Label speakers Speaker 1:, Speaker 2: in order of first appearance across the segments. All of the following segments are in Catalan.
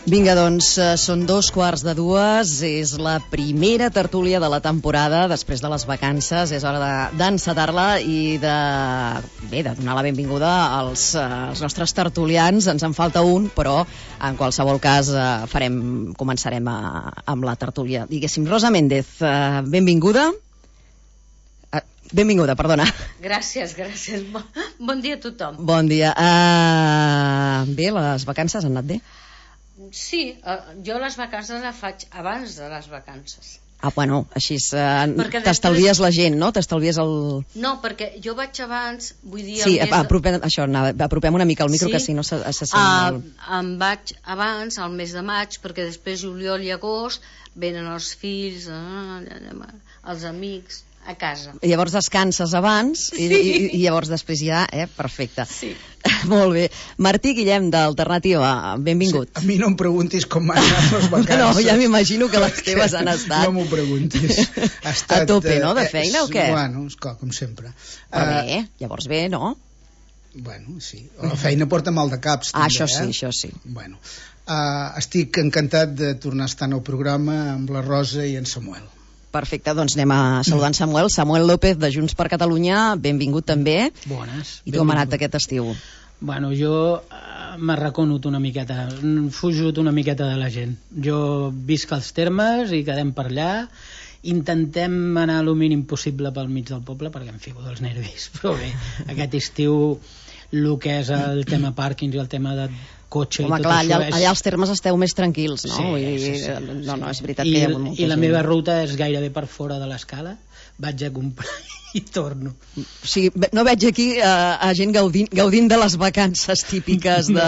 Speaker 1: Vinga, doncs, són 2:15, és la primera tertúlia de la temporada després de les vacances, és hora d'encetar-la i de donar la benvinguda als nostres tertulians. Ens en falta un, però en qualsevol cas començarem amb la tertúlia. Diguéssim, Rosa Méndez, benvinguda. Benvinguda, perdona.
Speaker 2: Gràcies. Bon dia a tothom.
Speaker 1: Bon dia. Bé, les vacances han anat bé?
Speaker 2: Sí, jo les vacances les faig abans de les vacances.
Speaker 1: Bueno, així t'estalvies la gent, no? T'estalvies el...
Speaker 2: No, perquè jo vaig abans, vull dir...
Speaker 1: Sí, apropem una mica el micro, que si no se sent molt...
Speaker 2: Em vaig abans, al mes de maig, perquè després juliol i agost venen els fills, els amics... a casa.
Speaker 1: I llavors descanses abans i llavors després ja, perfecte.
Speaker 2: Sí.
Speaker 1: Molt bé. Martí Guillem, d'Alternativa, benvingut.
Speaker 3: Sí, a mi no em preguntis com m'han anat les vacances.
Speaker 1: No, ja m'imagino que les teves han estat...
Speaker 3: No m'ho preguntis.
Speaker 1: A tope, no?, de feina o què?
Speaker 3: Bueno, esclar, com sempre.
Speaker 1: Però bé, llavors bé, no?
Speaker 3: Bueno, sí. La feina porta mal de caps, també,
Speaker 1: Això sí.
Speaker 3: Bueno, estic encantat de tornar a estar en el programa amb la Rosa i en Samuel.
Speaker 1: Perfecte, doncs anem a saludar en Samuel. Samuel López, de Junts per Catalunya, benvingut també.
Speaker 4: Bones.
Speaker 1: I tu com ha anat aquest estiu?
Speaker 4: Bueno, jo m'arraconut una miqueta, fugit una miqueta de la gent. Jo visc als Termes i quedem per allà. Intentem anar el mínim possible pel mig del poble perquè em fico dels nervis. Però bé, aquest estiu el que és el tema pàrquings i el tema de cotxe.
Speaker 1: Home,
Speaker 4: i tot
Speaker 1: clar,
Speaker 4: això
Speaker 1: allà als Termes esteu més tranquils, no?
Speaker 4: Sí.
Speaker 1: No, és veritat que hi ha molta gent.
Speaker 4: I la meva ruta és gairebé per fora de l'escala. Vaig a comprar i torno.
Speaker 1: O sigui, no veig aquí a gent gaudint de les vacances típiques de...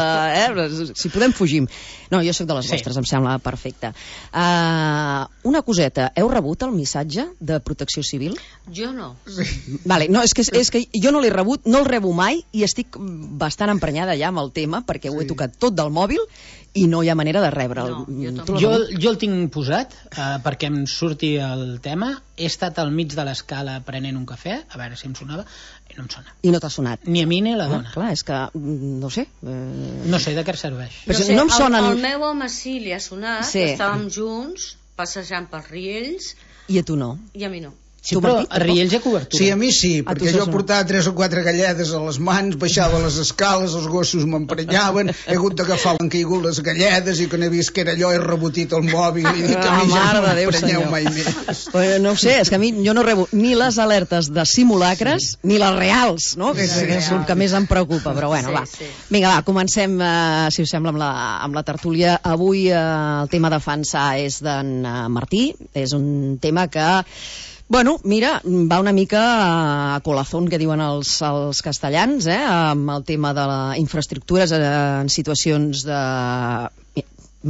Speaker 1: Si podem, fugim. No, jo sóc de les vostres, em sembla perfecte. Una coseta, heu rebut el missatge de Protecció Civil?
Speaker 2: Jo no.
Speaker 1: Vale, no, és que jo no l'he rebut, no el rebo mai i estic bastant emprenyada ja amb el tema perquè ho he tocat tot del mòbil i no hi ha manera de rebre'l.
Speaker 2: No,
Speaker 4: jo el tinc posat perquè em surti el tema. He estat al mig de l'escala prenent un cafè, a veure si em sonava, i no em sona.
Speaker 1: I no t'ha sonat?
Speaker 4: Ni a mi ni a la dona.
Speaker 1: Clar, és que, no sé...
Speaker 4: No sé de què serveix.
Speaker 1: Però no em sonen...
Speaker 2: El meu home sí li ha sonat, estàvem junts, passejant pels riells...
Speaker 1: I a tu no?
Speaker 2: I a mi no.
Speaker 4: Sí, però a Riells hi ha cobertura.
Speaker 3: Sí, a mi sí, perquè jo portava 3 o 4 galledes a les mans, baixava les escales, els gossos m'emprenyaven, he hagut d'agafar l'han caigut les galledes i quan he vist que era allò he rebotit el mòbil i dic que a mi ja no m'emprenyeu mai més.
Speaker 1: No ho sé, és que a mi jo no rebo ni les alertes de simulacres ni les reals, no? Que és el que més em preocupa, però bueno, va. Vinga, va, comencem, si us sembla, amb la tertúlia. Avui el tema a defensar és d'en Martí, és un tema que... Bueno, mira, va una mica a colazón, que diuen els castellans, amb el tema de les infraestructures en situacions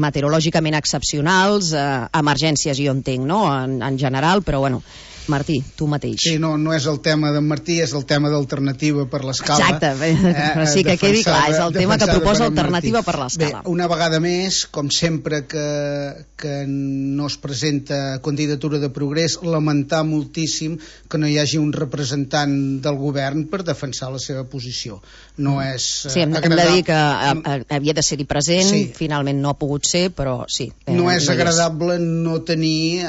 Speaker 1: meteorològicament excepcionals, emergències jo entenc, no?, en general, però bueno... Martí, tu mateix.
Speaker 3: Sí, no és el tema d'en Martí, és el tema d'Alternativa per l'Escala.
Speaker 1: Exacte, però sí que quedi clar, és el tema que proposa Alternativa per l'Escala.
Speaker 3: Bé, una vegada més, com sempre que no es presenta candidatura de progrés, lamentar moltíssim que no hi hagi un representant del govern per defensar la seva posició. No és
Speaker 1: agradable. Hem de dir que havia de ser-hi present, finalment no ha pogut ser, però sí.
Speaker 3: No és agradable no tenir...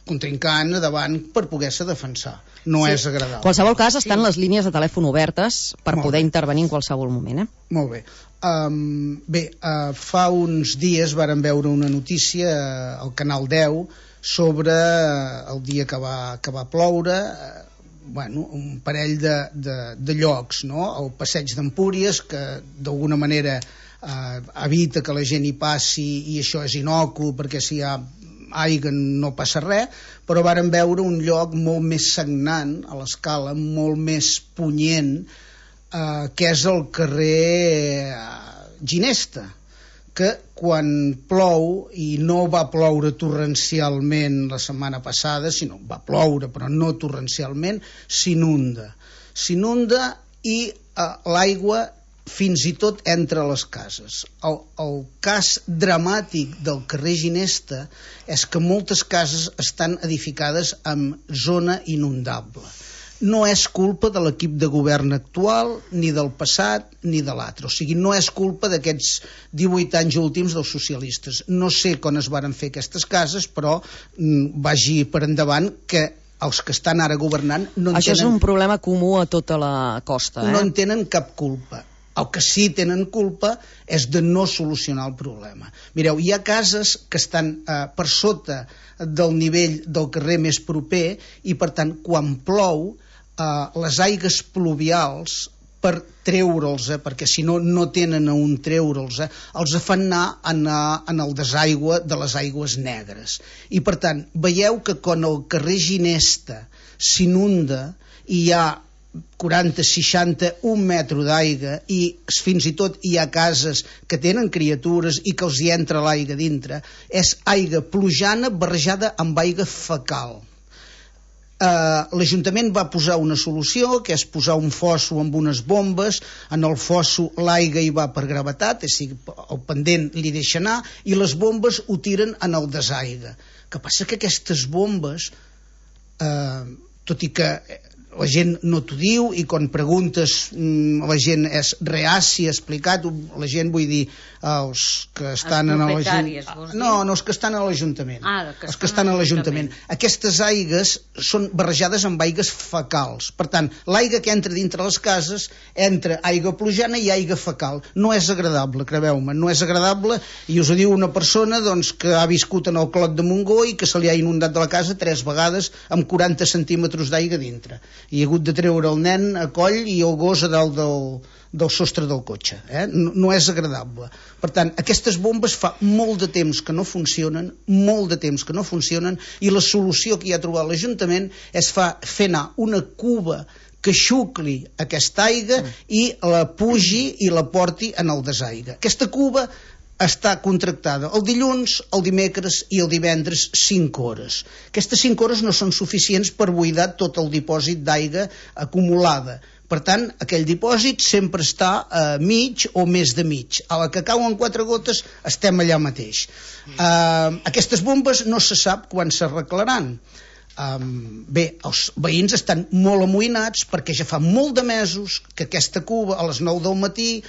Speaker 3: contrincant davant per poder-se defensar. No és agradable.
Speaker 1: En qualsevol cas, estan les línies de telèfon obertes per poder intervenir en qualsevol moment.
Speaker 3: Molt bé. Fa uns dies vàrem veure una notícia al Canal 10 sobre el dia que va ploure, un parell de llocs, no? El passeig d'Empúries, que d'alguna manera evita que la gent hi passi i això és inocu perquè si hi ha aigua no passa res, però vàrem veure un lloc molt més sagnant a l'escala, molt més punyent, que és el carrer Ginesta, que quan plou, i no va ploure torrencialment la setmana passada, sinó va ploure però no torrencialment, s'inunda i l'aigua fins i tot entre les cases. El cas dramàtic del carrer Ginesta és que moltes cases estan edificades en zona inundable. no és culpa de l'equip de govern actual, ni del passat, ni de l'altre. O sigui, no és culpa d'aquests 18 anys últims dels socialistes. No sé quan es varen fer aquestes cases, però vagi per endavant que els que estan ara governant no en
Speaker 1: Això és un problema comú a tota la costa.
Speaker 3: No en tenen cap culpa. El que sí tenen culpa és de no solucionar el problema. Mireu, hi ha cases que estan per sota del nivell del carrer més proper i, per tant, quan plou, les aigues pluvials, per treure'ls, perquè si no, no tenen on treure'ls, els fan anar en el desaigua de les aigües negres. I, per tant, veieu que quan el carrer Ginesta s'inunda i hi ha 40, 60, un metro d'aigua i fins i tot hi ha cases que tenen criatures i que els hi entra l'aigua dintre, és aigua plujana barrejada amb aigua fecal. L'Ajuntament va posar una solució, que és posar un fosso amb unes bombes. En el fosso l'aigua hi va per gravetat, és a dir, el pendent li deixa anar, i les bombes ho tiren en el desaigua. El que passa que aquestes bombes, tot i que la gent no t'ho diu, i quan preguntes la gent és reaci a explicar-ho, la gent, vull dir, els que estan en l'Ajuntament. No, els que estan a l'Ajuntament. Els que estan a l'Ajuntament. Aquestes aigues són barrejades amb aigues fecals. Per tant, l'aigua que entra dintre les cases entra aigua plujana i aigua fecal. No és agradable, creveu-me, no és agradable, i us ho diu una persona doncs, que ha viscut en el Clot de Montgó i que se li ha inundat de la casa 3 vegades amb 40 centímetres d'aigua dintre. I ha hagut de treure el nen a coll i el gos a dalt del sostre del cotxe. No és agradable. Per tant, aquestes bombes fa molt de temps que no funcionen, i la solució que hi ha trobat l'Ajuntament és fer anar una cuba que xucli aquesta aigua i la pugi i la porti en el desaigua. Aquesta cuba està contractada el dilluns, el dimecres i el divendres 5 hores. Aquestes 5 hores no són suficients per buidar tot el dipòsit d'aigua acumulada. Per tant, aquell dipòsit sempre està a mig o més de mig. A la que cauen 4 gotes estem allà mateix. Aquestes bombes no se sap quan s'arreglaran. Bé, els veïns estan molt amoïnats perquè ja fa molt de mesos que aquesta cuba a les 9 del matí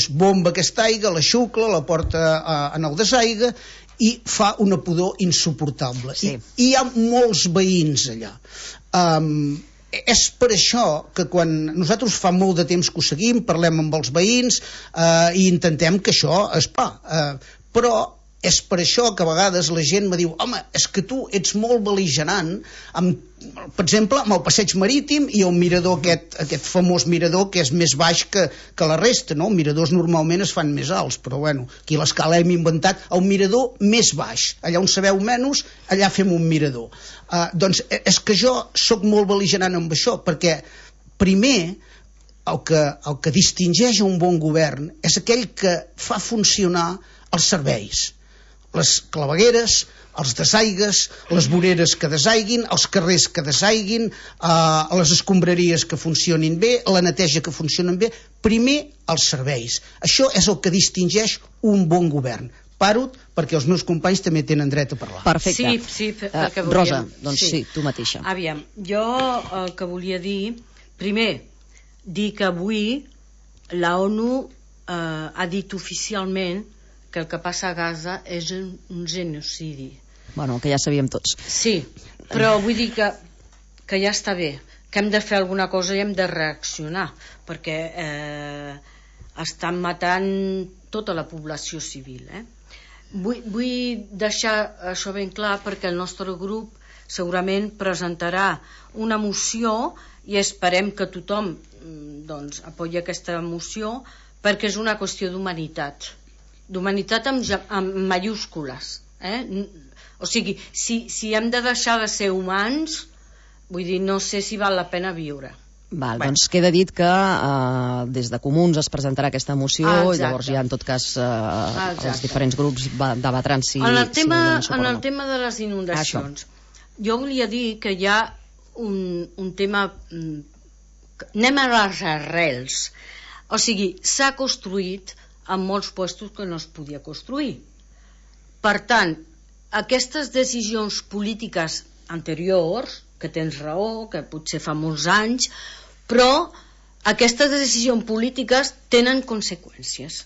Speaker 3: bomba aquesta aigua, la xucla, la porta en el desaigua i fa una pudor insuportable. I hi ha molts veïns allà. És per això que quan nosaltres fa molt de temps que ho seguim, parlem amb els veïns i intentem que això es fa. Però és per això que a vegades la gent me diu: home, és que tu ets molt bel·ligerant, per exemple, amb el passeig marítim i el mirador, aquest famós mirador que és més baix que la resta, no? Els miradors normalment es fan més alts, però bueno, aquí a l'Escala hem inventat el mirador més baix. Allà on sabeu menys, allà fem un mirador. Doncs és que jo sóc molt bel·ligerant amb això, perquè primer el que distingeix un bon govern és aquell que fa funcionar els serveis, les clavegueres, els desaigues, les voreres que desaiguin, els carrers que desaiguin, les escombraries que funcionin bé, la neteja que funcionen bé. Primer, els serveis. Això és el que distingeix un bon govern. Paro perquè els meus companys també tenen dret a parlar.
Speaker 1: Perfecte.
Speaker 2: Sí, perquè volíem...
Speaker 1: Rosa, doncs sí, tu mateixa.
Speaker 2: Aviam, jo el que volia dir, primer, dir que avui la ONU ha dit oficialment que el que passa a Gaza és un genocidi.
Speaker 1: Bueno, que ja sabíem tots.
Speaker 2: Sí, però vull dir que ja està bé, que hem de fer alguna cosa i hem de reaccionar, perquè estan matant tota la població civil. Vull deixar això ben clar perquè el nostre grup segurament presentarà una moció i esperem que tothom doncs, apoyi aquesta moció perquè és una qüestió d'humanitat amb mayúscules. O sigui, si hem de deixar de ser humans, vull dir, no sé si val la pena viure.
Speaker 1: Doncs queda dit que des de Comuns es presentarà aquesta moció i llavors ja en tot cas els diferents grups debatran si
Speaker 2: en el tema de les inundacions. Jo volia dir que hi ha un tema, anem a les arrels, o sigui, s'ha construït en molts puestos que no es podia construir. Per tant, aquestes decisions polítiques anteriors, que tens raó, que potser fa molts anys, però aquestes decisions polítiques tenen conseqüències.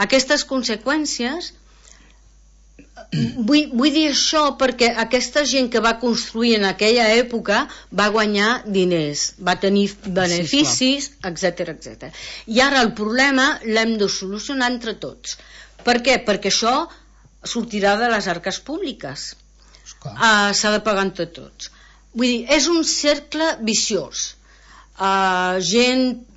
Speaker 2: Aquestes conseqüències, vull dir això perquè aquesta gent que va construir en aquella època va guanyar diners, va tenir beneficis, etc, etc. I ara el problema l'hem de solucionar entre tots. Per què? Perquè això sortirà de les arques públiques. S'ha de pagar entre tots. Vull dir, és un cercle viciós. Gent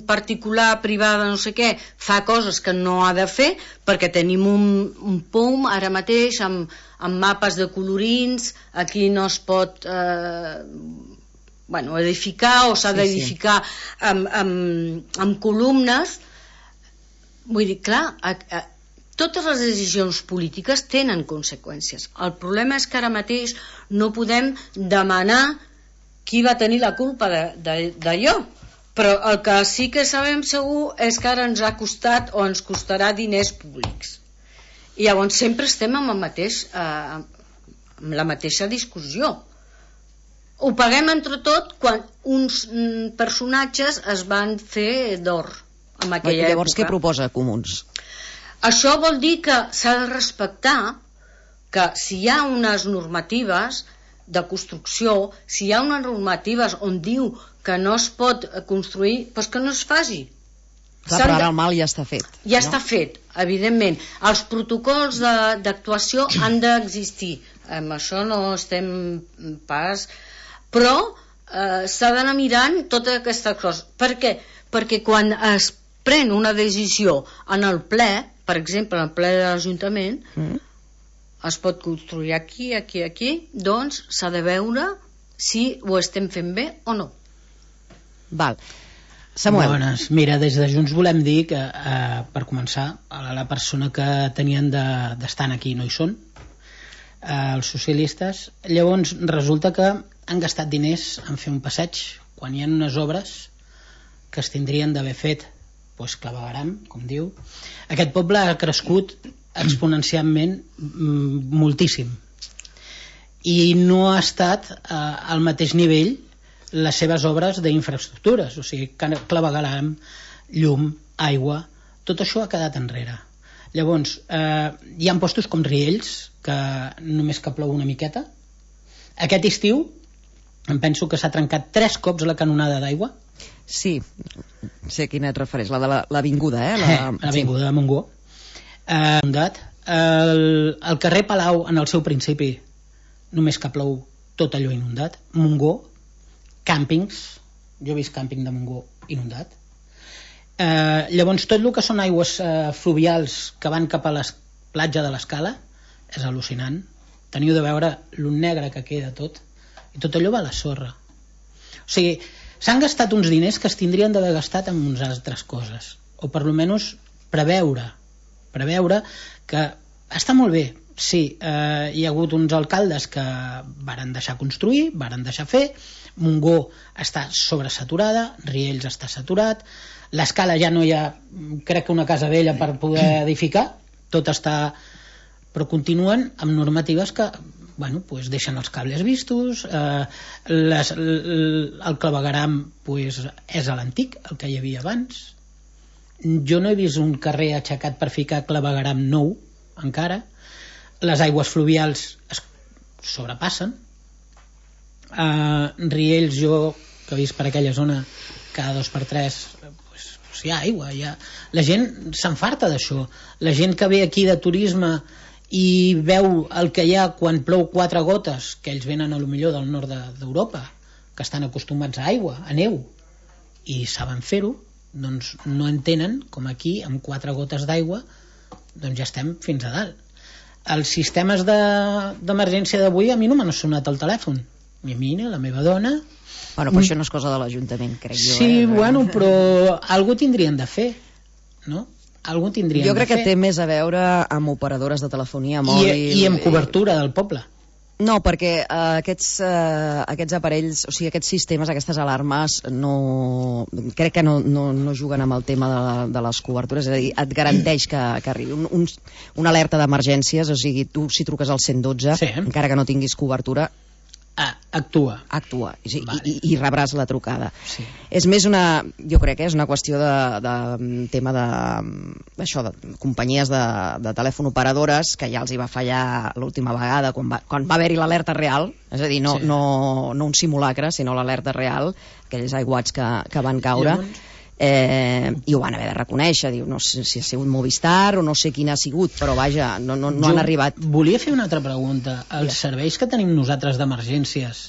Speaker 2: particular, privada, no sé què, fa coses que no ha de fer perquè tenim un POUM ara mateix amb mapes de colorins. Aquí no es pot edificar, o s'ha d'edificar amb columnes. Vull dir, clar, totes les decisions polítiques tenen conseqüències. El problema és que ara mateix no podem demanar qui va tenir la culpa d'allò, però el que sí que sabem segur és que ara ens ha costat o ens costarà diners públics. I llavors sempre estem amb la mateixa discussió. Ho paguem entre tot quan uns personatges es van fer d'or en aquella època.
Speaker 1: Llavors què proposa Comuns?
Speaker 2: Això vol dir que s'ha de respectar que si hi ha unes normatives de construcció, si hi ha unes normatives on diu que no es pot construir, doncs que no es faci.
Speaker 1: Clar, però ara el mal ja està fet.
Speaker 2: Ja està fet, evidentment. Els protocols d'actuació han d'existir. Amb això no estem pas... Però s'ha d'anar mirant totes aquestes coses. Per què? Perquè quan es pren una decisió en el ple, per exemple, en el ple de l'Ajuntament, es pot construir aquí, doncs s'ha de veure si ho estem fent bé o no.
Speaker 1: Val. Samuel.
Speaker 4: Bones. Mira, des de Junts volem dir que, per començar, la persona que tenien d'estar aquí no hi són, els socialistes. Llavors resulta que han gastat diners en fer un passeig quan hi ha unes obres que es tindrien d'haver fet clavegueram, com diu. Aquest poble ha crescut exponencialment moltíssim i no ha estat al mateix nivell les seves obres d'infraestructures, o sigui, clavegueram, llum, aigua, tot això ha quedat enrere. Llavors, hi ha postos com Riells, que només que plou una miqueta. Aquest estiu em penso que s'ha trencat 3 cops la canonada d'aigua.
Speaker 1: Sí, sé quina et refereix, la de l'avinguda,
Speaker 4: l'avinguda de Montgó. El carrer Palau, en el seu principi, només que plou tot allò inundat. Montgó, càmpings, jo he vist càmping de Montgó inundat. Llavors tot el que són aigües fluvials que van cap a la platja de l'Escala és al·lucinant. Teniu de veure lo negre que queda tot, i tot allò va a la sorra. O sigui, s'han gastat uns diners que es tindrien d'haver gastat en unes altres coses, o per almenys preveure que està molt bé, sí, hi ha hagut uns alcaldes que varen deixar construir, varen deixar fer. Montgó està sobresaturada, Riells està saturat, l'Escala ja no hi ha, crec que una casa vella per poder edificar, tot està, però continuen amb normatives que deixen els cables vistos, el clavegueram és a l'antic, el que hi havia abans. Jo no he vist un carrer aixecat per ficar clavegueram nou encara. Les aigües fluvials es sobrepassen. Riells, jo que he vist per aquella zona cada 2x3 hi ha aigua, la gent s'enfarta d'això. La gent que ve aquí de turisme i veu el que hi ha quan plou 4 gotes, que ells venen a lo millor del nord d'Europa, que estan acostumats a aigua, a neu, i saben fer-ho, doncs no entenen com aquí amb 4 gotes d'aigua doncs ja estem fins a dalt. Els sistemes d'emergència d'avui a mi no m'han sonat al telèfon, ni a mi ni a la meva dona.
Speaker 1: Però això no és cosa de l'Ajuntament, crec jo.
Speaker 4: Sí, però algú tindrien de fer, no? Algú tindrien
Speaker 1: jo crec
Speaker 4: de
Speaker 1: que té més a veure amb operadores de telefonia mòbil
Speaker 4: i amb cobertura del poble.
Speaker 1: No, perquè aquests aparells, o sigui, aquests sistemes, aquestes alarmes crec que no juguen amb el tema de les cobertures, és a dir, et garanteix que arribi una alerta d'emergències, o sigui, tu si truques al 112, encara que no tinguis cobertura,
Speaker 4: actua
Speaker 1: i rebràs la trucada.
Speaker 4: Sí.
Speaker 1: És més jo crec que és una qüestió de tema d'això, de companyies de telèfon operadores, que ja els hi va fallar l'última vegada quan va haver-hi l'alerta real, és a dir, no un simulacre, sinó l'alerta real, aquells aiguats que van caure. I ho van haver de reconèixer, diu, no sé si ha sigut Movistar o no sé quin ha sigut, però vaja, no han arribat.
Speaker 4: Volia fer una altra pregunta. Els serveis que tenim nosaltres d'emergències,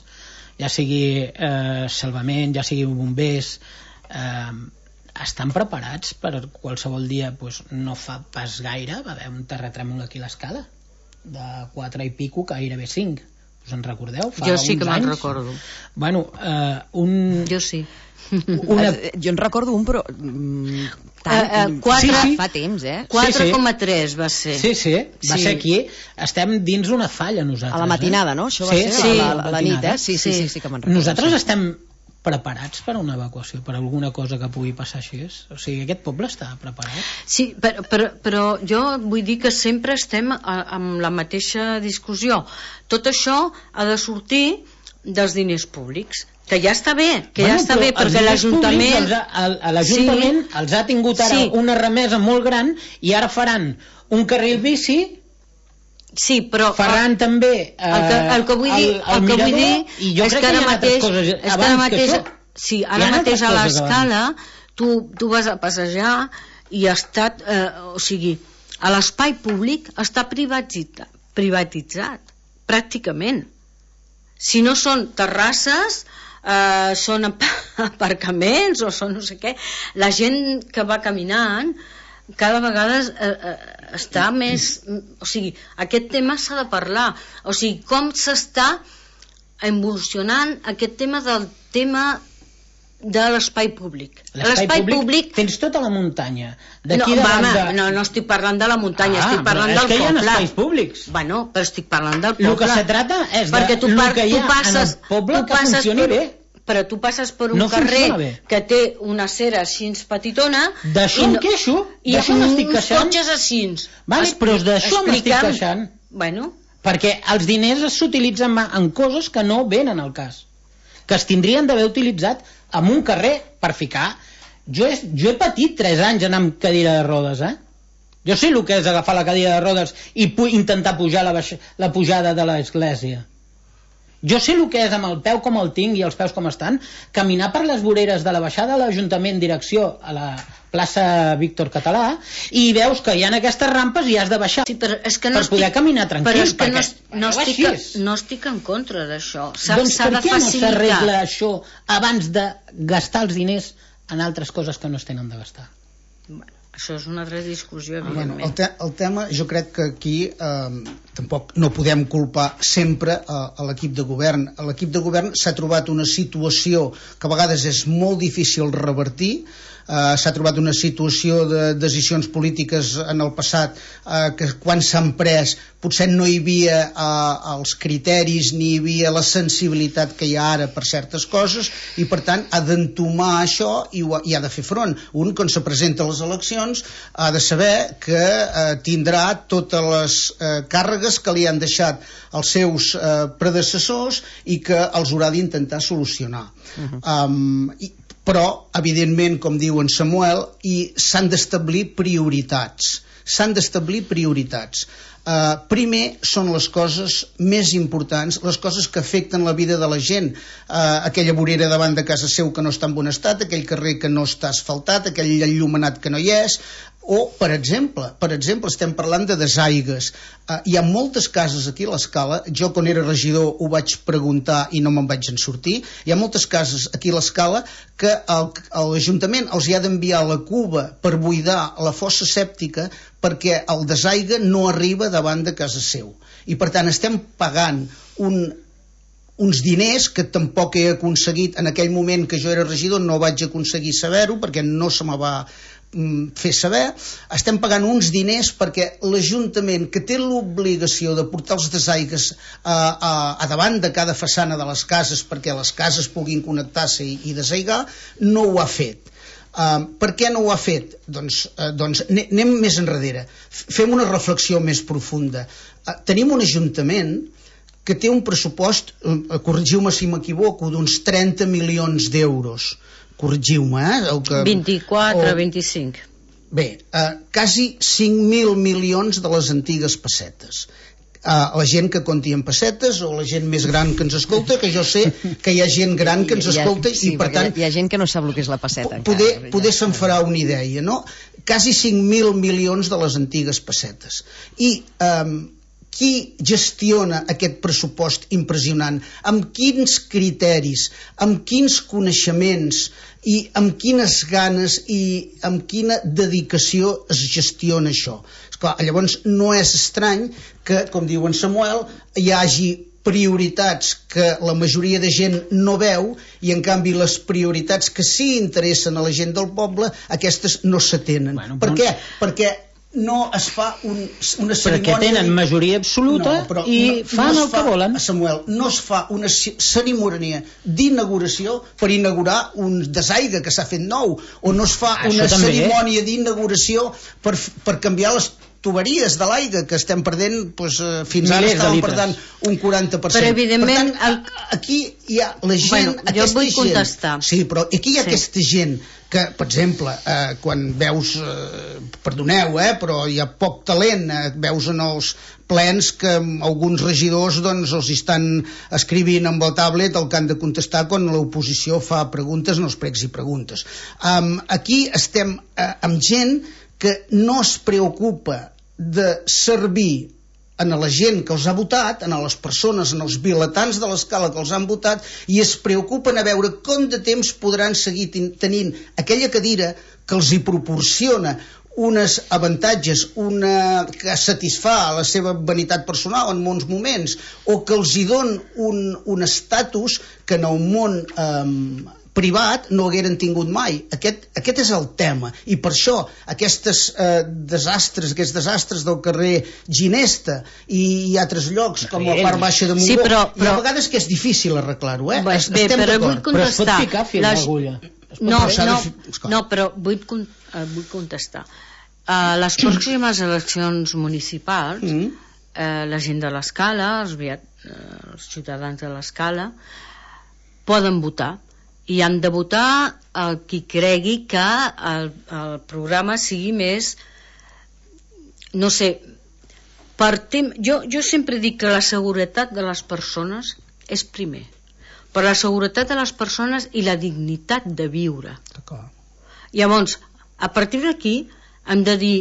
Speaker 4: ja sigui salvament, ja sigui bombers, estan preparats per qualsevol dia? No fa pas gaire va haver un terratrèmol aquí a l'Escala de 4 i pico, gairebé 5. Us en recordeu?
Speaker 2: Jo sí que me'n recordo.
Speaker 4: Bueno,
Speaker 2: jo sí.
Speaker 1: Jo en recordo un, però fa temps,
Speaker 2: 4,3 va ser.
Speaker 4: Sí, va ser aquí. Estem dins una falla nosaltres.
Speaker 1: A la matinada, no? Això va ser a la nit, Sí, que me'n recordo.
Speaker 4: Nosaltres estem preparats per a una evacuació, per alguna cosa que pugui passar així? O sigui, aquest poble està preparat?
Speaker 2: Sí, però jo vull dir que sempre estem amb la mateixa discussió. Tot això ha de sortir dels diners públics, que ja està bé, perquè l'Ajuntament...
Speaker 4: L'Ajuntament els ha tingut ara una remesa molt gran i ara faran un carril bici.
Speaker 2: Sí, però
Speaker 4: faran també
Speaker 2: el que vull dir és que ara mateix a l'Escala tu vas a passejar i ha estat, o sigui, a l'espai públic està privatitzat pràcticament. Si no són terrasses, són aparcaments o són no sé què, la gent que va caminant cada vegada està més, o sigui, aquest tema s'ha de parlar, o sigui, com s'està evolucionant aquest tema del tema de l'espai públic.
Speaker 4: L'espai públic tens tota la muntanya.
Speaker 2: No estic parlant de la muntanya, estic parlant del poble.
Speaker 4: És que hi ha espais públics.
Speaker 2: Bueno, però estic parlant del poble.
Speaker 4: El que se trata és de el que hi ha en el poble que funcioni bé.
Speaker 2: Però tu passes per un carrer que té una cera així petitona...
Speaker 4: D'això em queixo, d'això m'estic queixant.
Speaker 2: I uns cotxes així.
Speaker 4: Però d'això m'estic queixant. Perquè els diners s'utilitzen en coses que no venen al cas, que es tindrien d'haver utilitzat en un carrer per ficar. Jo he patit 3 anys anar amb cadira de rodes, Jo sé el que és agafar la cadira de rodes i intentar pujar la pujada de l'església. Jo sé el que és amb el peu com el tinc i els peus com estan, caminar per les voreres de la baixada de l'Ajuntament direcció a la plaça Víctor Català i veus que hi ha aquestes rampes i has de baixar per poder caminar tranquil.
Speaker 2: Però és que no estic en contra d'això.
Speaker 4: Doncs per què no s'arregla això abans de gastar els diners en altres coses que no es tenen de gastar?
Speaker 2: Això és una altra discussió, evidentment.
Speaker 3: El tema, jo crec que aquí tampoc no podem culpar sempre a l'equip de govern. L'equip de govern s'ha trobat una situació que a vegades és molt difícil revertir. S'ha trobat una situació de decisions polítiques en el passat que quan s'han pres potser no hi havia els criteris ni hi havia la sensibilitat que hi ha ara per certes coses i per tant ha d'entomar això i ha de fer front. Un, quan se presenta a les eleccions, ha de saber que tindrà totes les càrregues que li han deixat els seus predecessors i que els haurà d'intentar solucionar. Però, evidentment, com diu en Samuel, s'han d'establir prioritats. Primer són les coses més importants, les coses que afecten la vida de la gent. Aquella vorera davant de casa seu que no està en bon estat, aquell carrer que no està asfaltat, aquell enllumenat que no hi és, o, per exemple, estem parlant de desaigues. Hi ha moltes cases aquí a l'Escala, jo quan era regidor ho vaig preguntar i no me'n vaig en sortir, hi ha moltes cases aquí a l'Escala que l'Ajuntament els hi ha d'enviar la cuba per buidar la fossa sèptica perquè el desaigue no arriba davant de casa seu. I per tant estem pagant uns diners que tampoc he aconseguit en aquell moment que jo era regidor, no vaig aconseguir saber-ho perquè no se me va fer saber. Estem pagant uns diners perquè l'Ajuntament, que té l'obligació de portar els desaigues a davant de cada façana de les cases perquè les cases puguin connectar-se i desaigar, no ho ha fet. Per què no ho ha fet? Doncs anem més enrere, fem una reflexió més profunda. Tenim un Ajuntament que té un pressupost, corregiu-me si m'equivoco, d'uns 30 milions d'euros. Corregiu-me,
Speaker 2: 24, 25.
Speaker 3: Bé, quasi 5.000 milions de les antigues pessetes. La gent que conti en pessetes o la gent més gran que ens escolta, que jo sé que hi ha gent gran que ens escolta i per tant
Speaker 1: hi ha gent que no sap el que és la pesseta
Speaker 3: poder se'n farà una idea, no? Quasi 5.000 milions de les antigues pessetes. I qui gestiona aquest pressupost impressionant? Amb quins criteris, amb quins coneixements i amb quines ganes i amb quina dedicació es gestiona això? Esclar, llavors no és estrany que, com diu en Samuel, hi hagi prioritats que la majoria de gent no veu i en canvi les prioritats que sí interessen a la gent del poble, aquestes no s'atenen. Per què? Perquè no es fa una cerimònia...
Speaker 4: Perquè tenen majoria absoluta i fan el que volen.
Speaker 3: Samuel, no es fa una cerimònia d'inauguració per inaugurar un desaigre que s'ha fet nou, o no es fa una cerimònia d'inauguració per canviar les tuberies de l'aigua que estem perdent, doncs, fins ara estàvem perdent un 40%.
Speaker 2: Però evidentment...
Speaker 3: Per tant, aquí hi ha la gent...
Speaker 2: Bueno, jo vull contestar.
Speaker 3: Sí, però aquí hi ha aquesta gent que, per exemple, quan veus... perdoneu, però hi ha poc talent, veus en els plens que alguns regidors doncs els estan escrivint amb el tablet el que han de contestar quan l'oposició fa preguntes en els pregs i preguntes. Aquí estem amb gent que no es preocupa de servir a la gent que els ha votat, a les persones, en els vilatans de l'escala que els han votat, i es preocupen a veure com de temps podran seguir tenint aquella cadira que els hi proporciona uns avantatges, que satisfà la seva vanitat personal en molts moments, o que els hi don un estatus que en el món privat no hagueren tingut mai. Aquest és el tema, i per això aquests desastres del carrer Ginesta i altres llocs com la part baixa de Montgó, i a vegades que és difícil arreglar-ho, estem d'acord,
Speaker 4: però es pot ficar fil d'agulla.
Speaker 2: No, però vull contestar. Les pròximes eleccions municipals, la gent de l'Escala, els ciutadans de l'Escala, poden votar, i han de votar qui cregui que el programa sigui més, no sé, jo sempre dic que la seguretat de les persones és primer, però la seguretat de les persones i la dignitat de viure. Llavors, a partir d'aquí hem de dir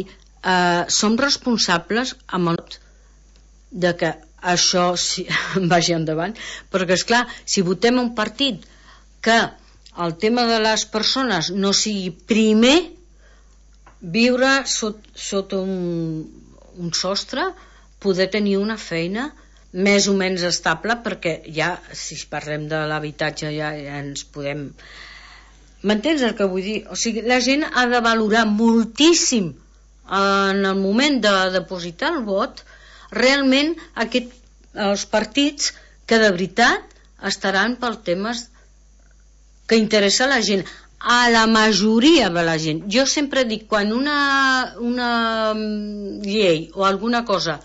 Speaker 2: som responsables amb el de que això vagi endavant, perquè esclar, si votem un partit que el tema de les persones no sigui primer, viure sota un sostre, poder tenir una feina més o menys estable, perquè ja, si parlem de l'habitatge, ja ens podem... M'entens el que vull dir? O sigui, la gent ha de valorar moltíssim en el moment de depositar el vot, realment els partits que de veritat estaran pels temes que interessa a la gent, a la majoria de la gent. Jo sempre dic, quan una llei o alguna cosa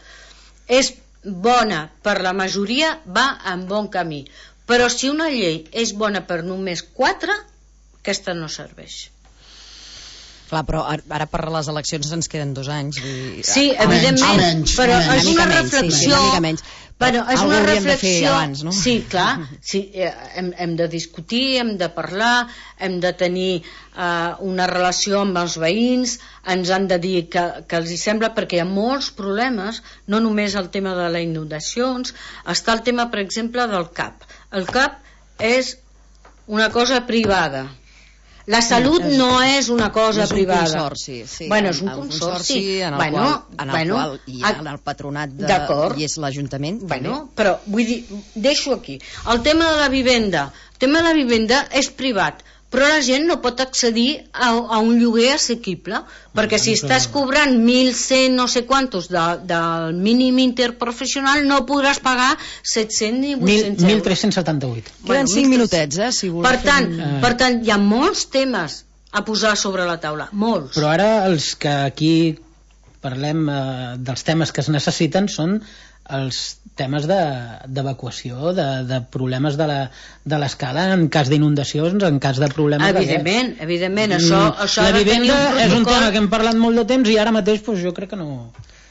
Speaker 2: és bona per la majoria, va en bon camí. Però si una llei és bona per només 4, aquesta no serveix.
Speaker 1: Clar, però ara per les eleccions ens queden 2 anys.
Speaker 2: Sí, evidentment, però és una reflexió... Bueno, és una reflexió abans, no? Sí, clar, sí, hem de discutir, hem de parlar, hem de tenir una relació amb els veïns, ens han de dir que els hi sembla, perquè hi ha molts problemes, no només el tema de les inundacions, està el tema, per exemple, del CAP. El CAP és una cosa privada. La salut no és una cosa privada.
Speaker 1: És un consorci, sí.
Speaker 2: Bueno, és un consorci
Speaker 1: en el qual hi ha el patronat i és l'Ajuntament.
Speaker 2: Bueno, però vull dir, deixo aquí. El tema de la vivenda. El tema de la vivenda és privat, però la gent no pot accedir a un lloguer assequible, perquè si estàs cobrant 1.100 no sé quantos del mínim interprofessional, no podràs pagar 700 ni 800 euros.
Speaker 4: 1.378.
Speaker 1: Queden 5 minutets, si voleu.
Speaker 2: Per tant, hi ha molts temes a posar sobre la taula, molts.
Speaker 4: Però ara els que aquí parlem dels temes que es necessiten, són els temes d'evacuació, de problemes de l'escala en cas d'inundacions, en cas de problemes
Speaker 2: evidentment, això
Speaker 4: la vivenda és un tema que hem parlat molt de temps i ara mateix jo crec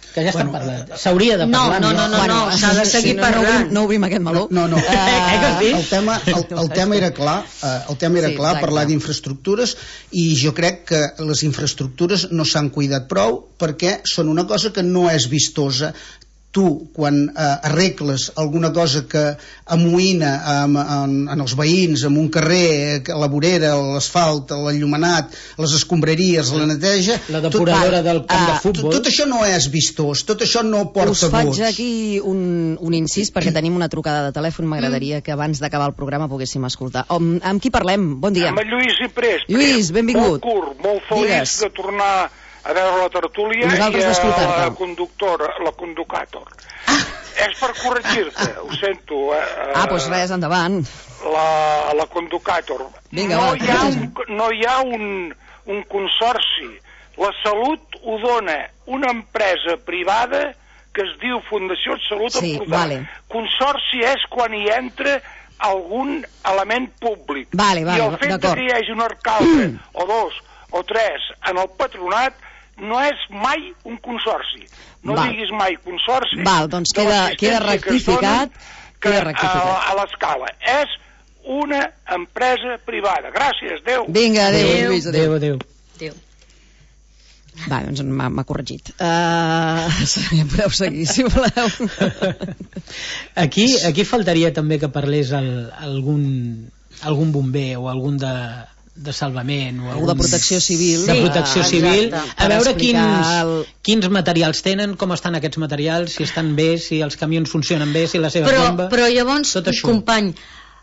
Speaker 4: que ja estan parlant. S'hauria de parlar.
Speaker 2: No, s'ha de seguir parlant.
Speaker 1: No obrim aquest meló.
Speaker 3: No. El tema era clar, parlar d'infraestructures, i jo crec que les infraestructures no s'han cuidat prou perquè són una cosa que no és vistosa. Tu, quan arregles alguna cosa que amoïna en els veïns, en un carrer, la vorera, l'asfalt, l'enllumenat, les escombraries, la neteja...
Speaker 4: La depuradora del camp de futbol...
Speaker 3: Tot això no és vistós, tot això no porta vots.
Speaker 1: Us faig aquí un incís, perquè tenim una trucada de telèfon. M'agradaria que abans d'acabar el programa poguéssim escoltar. Amb qui parlem? Bon dia.
Speaker 5: Amb el Lluís Ciprés.
Speaker 1: Lluís, benvingut.
Speaker 5: Molt curt, molt feliç de tornar a veure la tertúlia i la conducàtor. És per corregir-te, ho sento.
Speaker 1: Doncs res, endavant.
Speaker 5: La conducàtor. No hi ha un consorci. La Salut ho dona una empresa privada que es diu Fundació Salut Empordà. Consorci és quan hi entra algun element públic. I el fet que hi hagi un alcalde o dos o tres en el patronat no és mai un consorci. No diguis mai consorci.
Speaker 1: Doncs queda rectificat.
Speaker 5: A l'escala. És una empresa privada. Gràcies, adéu.
Speaker 1: Vinga, adéu, Lluís.
Speaker 4: Adéu.
Speaker 1: Doncs m'ha corregit. Podeu seguir, si voleu.
Speaker 4: Aquí faltaria també que parlés algun bomber o algun de salvament o
Speaker 1: de protecció civil,
Speaker 4: a veure quins materials tenen, com estan aquests materials, si estan bé, si els camions funcionen bé, si la seva bomba...
Speaker 2: Però llavors, company,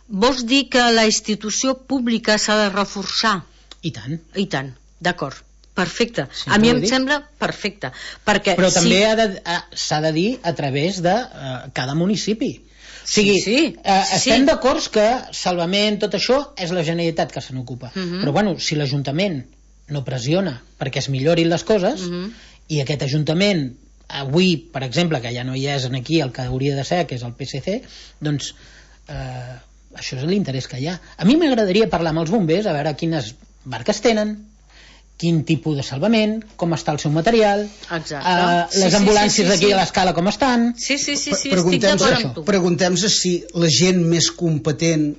Speaker 2: vols dir que la institució pública s'ha de reforçar?
Speaker 4: I tant,
Speaker 2: d'acord, perfecte, a mi em sembla perfecte,
Speaker 4: però també s'ha de dir a través de cada municipi. O sigui, estem d'acord que salvament, tot això, és la Generalitat que se n'ocupa. Però, bueno, si l'Ajuntament no pressiona perquè es millorin les coses, i aquest Ajuntament, avui, per exemple, que ja no hi és aquí el que hauria de ser, que és el PSC, doncs això és l'interès que hi ha. A mi m'agradaria parlar amb els bombers, a veure quines barques tenen, quin tipus de salvament, com està el seu material, les ambulàncies d'aquí a l'escala com estan.
Speaker 2: Sí, estic d'acord amb tu.
Speaker 3: Preguntem-se si la gent més competent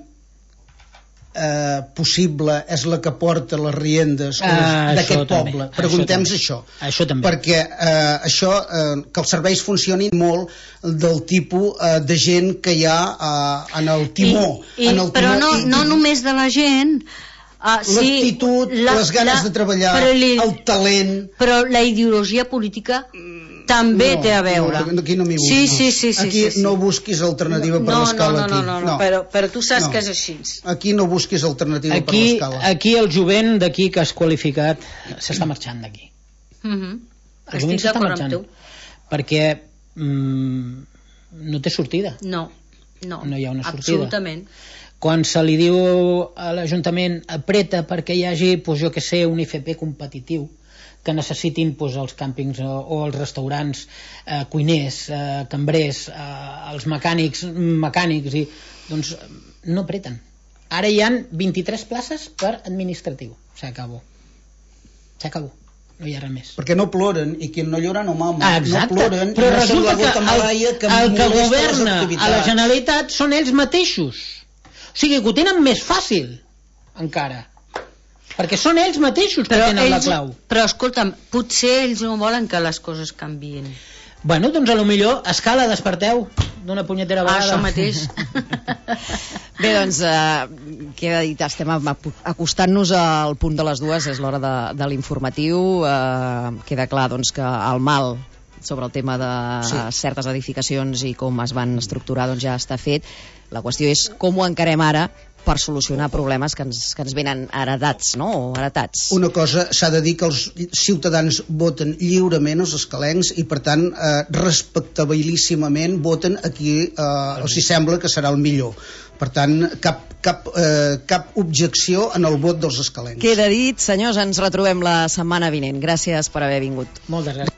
Speaker 3: possible és la que porta les riendes d'aquest poble. Preguntem-se això. Perquè això, que els serveis funcionin molt del tipus de gent que hi ha en el timó.
Speaker 2: Però no només de la gent,
Speaker 3: l'actitud, les ganes de treballar, el talent...
Speaker 2: Però la ideologia política també té a veure.
Speaker 3: Aquí no m'hi busquis. Aquí no busquis alternativa per l'escala.
Speaker 2: No, però tu saps que és així.
Speaker 3: Aquí no busquis alternativa per l'escala.
Speaker 4: Aquí el jovent d'aquí que has qualificat s'està marxant d'aquí.
Speaker 2: Estic d'acord amb tu.
Speaker 4: Perquè no té sortida.
Speaker 2: No
Speaker 4: hi ha una sortida.
Speaker 2: Absolutament.
Speaker 4: Quan se li diu a l'Ajuntament apreta perquè hi hagi, jo que sé, un IFP competitiu que necessitin els càmpings o els restaurants, cuiners, cambrers, els mecànics, doncs no apreten. Ara hi han 23 places per administratiu. S'acabó. No hi ha res més.
Speaker 3: Perquè no ploren, i qui no llora no mama.
Speaker 4: Exacte.
Speaker 3: No ploren,
Speaker 4: però resulta
Speaker 3: que
Speaker 4: el que governa a la Generalitat són ells mateixos. O sigui, que ho tenen més fàcil, encara. Perquè són ells mateixos que tenen la clau.
Speaker 2: Però, escolta'm, potser ells no volen que les coses canvien.
Speaker 4: Bueno, doncs a lo millor, escala, desperteu d'una punyetera vegada.
Speaker 2: Això mateix.
Speaker 1: Bé, doncs, queda dit, estem acostant-nos al punt de les 2, és l'hora de l'informatiu. Queda clar, doncs, que el mal sobre el tema de certes edificacions i com es van estructurar, doncs ja està fet. La qüestió és com ho encarem ara per solucionar problemes que ens venen heretats, no? O heretats.
Speaker 3: Una cosa, s'ha de dir que els ciutadans voten lliurement, els escalencs, i per tant respectabilíssimament voten a qui els sembla que serà el millor. Per tant, cap objecció en el vot dels escalencs.
Speaker 1: Queda dit, senyors, ens retrobem la setmana vinent. Gràcies per haver vingut.
Speaker 4: Moltes gràcies.